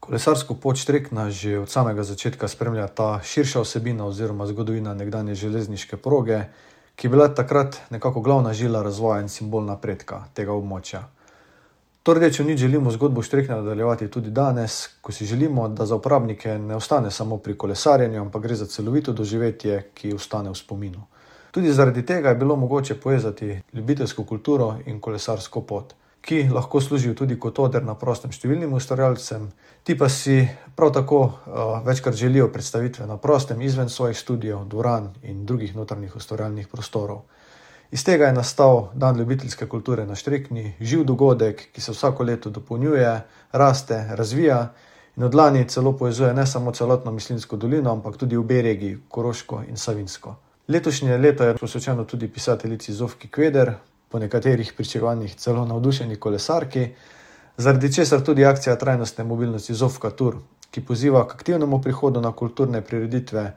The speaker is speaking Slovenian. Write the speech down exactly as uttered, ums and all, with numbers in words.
Kolesarsko pot Štrekna že od samega začetka spremlja ta širša vsebina oziroma zgodovina nekdanje železniške proge, ki je bila takrat nekako glavna žila razvoja in simbol napredka tega območja. To rdečo nit želimo zgodbo Štrekna nadaljevati tudi danes, ko si želimo, da za uporabnike ne ostane samo pri kolesarjenju, ampak gre za celovito doživetje, ki ostane v spominu. Tudi zaradi tega je bilo mogoče povezati ljubiteljsko kulturo in kolesarsko pot, ki lahko služijo tudi kot oder na prostem številnim ustvarjalcem, ti pa si prav tako uh, večkrat želijo predstavitve na prostem izven svojih studijev, dvoran in drugih notranjih ustvarjalnih prostorov. Iz tega je nastal Dan ljubiteljske kulture na Štrekni, živ dogodek, ki se vsako leto dopolnjuje, raste, razvija in od lani celo povezuje ne samo celotno Mislinjsko dolino, ampak tudi obe regiji, Koroško in Savinjsko. Letošnje leto je posvečeno tudi pisateljici Zofki Kveder, po nekaterih pričakovanjih celo navdušeni kolesarki, zaradi česar tudi akcija trajnostne mobilnosti Zofka Tur, ki poziva k aktivnemu prihodu na kulturne prireditve